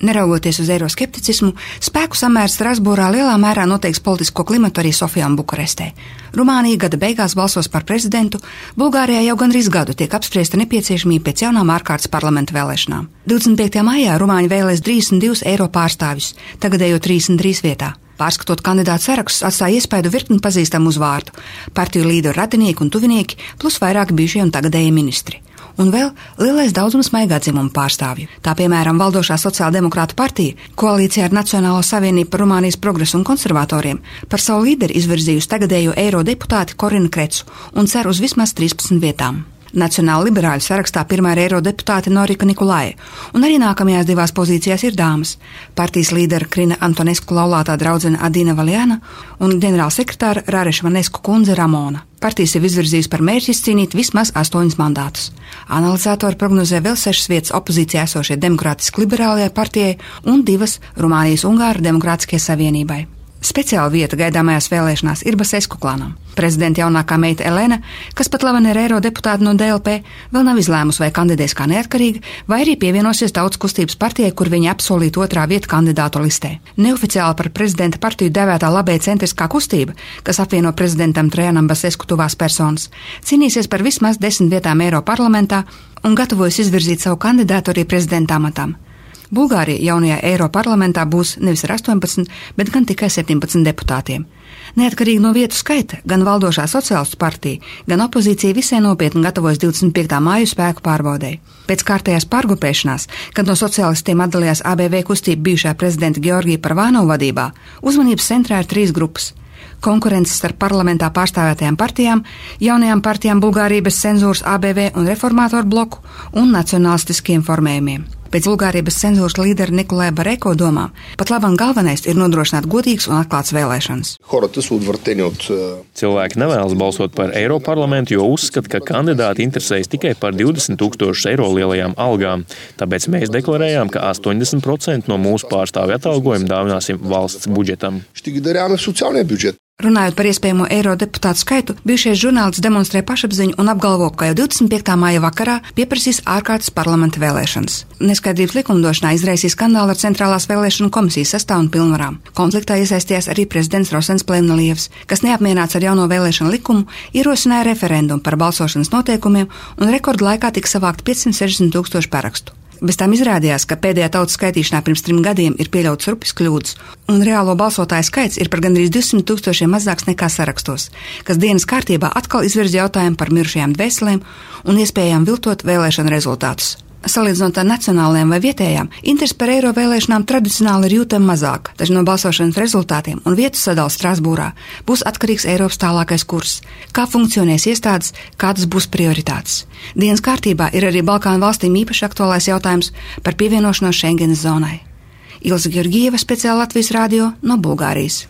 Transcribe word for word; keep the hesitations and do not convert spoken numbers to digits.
Neraugoties uz eiroskepticismu, spēku samērs Strasbūrā lielā mērā noteiks politisko klimatu arī Sofijā un Bukarestē. Rumānija gada beigās balsos par prezidentu, Bulgārijā jau gandrīz gadu tiek apspriesta nepieciešamība pēc jaunām ārkārtas parlamenta vēlēšanām. divdesmit piektajā maijā Rumāņi vēlēs trīsdesmit divus eiro pārstāvjus, tagadējo trīsdesmit trīs vietā. Pārskatot kandidātu sarakstus, atstāja iespaidu virkni pazīstamu uzvārdu, partiju līderu radinieki un tuvinieki, plus vairāki bijušie un tagadējie ministri. Un vēl lielais daudzums maigā dzimumu pārstāvju. Tā piemēram valdošā sociāldemokrāta partija, koalīcijā ar Nacionālo savienību par Rumānijas progresu un konservatoriem, par savu līderi izvirzījusi tagadējo eirodeputāti Korinu Krecu un cer uz vismaz trīspadsmit vietām. Nacionāla liberāļu sarakstā pirmā ir eirodeputāte Norika Nikolaja, un arī nākamajās divās pozīcijās ir dāmas – partijas līdera Krina Antonesku laulātā draudzene Adina Valjana un ģenerālsekretāra Rareša Vanesku kundze Ramona. Partijas ir izvirzījusi par mērķi izcīnīt vismaz astoņus mandātus. Analizatori prognozē vēl sešas vietas opozīcijā esošie demokrātiski liberālajai partijai un divas Rumānijas Ungāru demokrātiskajai savienībai. Speciāla vieta gaidāmajās vēlēšanās ir Basesku klanam. Prezidenta jaunākā meita Elena, kas pat labi ir eirodeputāte no D L P, vēl nav izlēmusi, vai kandidēs kā neatkarīga, vai arī pievienosies Tautas kustības partijai, kur viņa apsolīta otrā vieta kandidātu listē. Neoficiāli par prezidenta partiju devētā labēja centriskā kustība, kas apvieno prezidentam Trajanam Basesku tuvās personas, cīnīsies par vismaz desmit vietām Eiroparlamentā un gatavojas izvirzīt savu kandidātu arī prezidenta amatam. Bulgārija jaunajā Eiroparlamentā būs nevis ar astoņpadsmit, bet gan tikai septiņpadsmit deputātiem. Neatkarīgi no vietu skaita, gan valdošā sociālistu partija, gan opozīcija visai nopietni gatavojas divdesmit piektā māju spēku pārbaudei. Pēc kārtējās pārgrupēšanās, kad no sociālistiem atdalījās A B V kustība bijušā prezidenta Georgija Parvānova vadībā, uzmanības centrā ir trīs grupas. Konkurences starp parlamentā pārstāvētajām partijām, jaunajām partijām Bulgārija bez cenzūras A B V un reformātoru bloku un nacionālistiskiem formējumiem. Pēc Bulgārija bez cenzūras līdera Nikolaja Bareko domām, pat labam galvenais ir nodrošināt godīgas un atklātas vēlēšanas. Cilvēki nevēlas balsot par Eiroparlamentu, jo uzskata, ka kandidāti interesējas tikai par divdesmit tūkstošu eiro lielajām algām. Tāpēc mēs deklarējām, ka astoņdesmit procenti no mūsu pārstāvju atalgojuma dāvināsim valsts budžetam. Runājot par iespējamo eirodeputātu skaitu, bijušais žurnālists demonstrē pašapziņu un apgalvo, ka jau divdesmit piektā māja vakarā pieprasīs ārkārtas parlamenta vēlēšanas. Neskaidrības likumdošanā izraisīja skandālu ar Centrālās vēlēšanu komisijas sastāvu un pilnvarām. Konfliktā iesaistījās arī prezidents Rosens Plevnelievs, kas neapmierināts ar jauno vēlēšanu likumu, ierosināja referendumu par balsošanas noteikumiem un rekordu laikā tika savākt piecsimt sešdesmit tūkstoši parakstu. Bez tām izrādījās, ka pēdējā tautas skaitīšanā pirms trim gadiem ir pieļauts rupjas kļūdas, un reālo balsotāju skaits ir par gandrīz divsimt tūkstošiem mazāks nekā sarakstos, kas dienas kārtībā atkal izvirza jautājumu par mirušajām dvēselēm un iespējām viltot vēlēšanu rezultātus. Salīdzinot ar nacionālajām vai vietējām, interesi par eiro vēlēšanām tradicionāli ir jūtama mazāk, taču no balsošanas rezultātiem un vietu sadalas Strasbūrā būs atkarīgs Eiropas tālākais kurs, kā funkcionēs iestādes, kādas būs prioritātes. Dienas kārtībā ir arī Balkānu valstīm īpaši aktuālais jautājums par pievienošanos Schengenas zonai. Ilza Georgieva, speciāli Latvijas radio no Bulgārijas.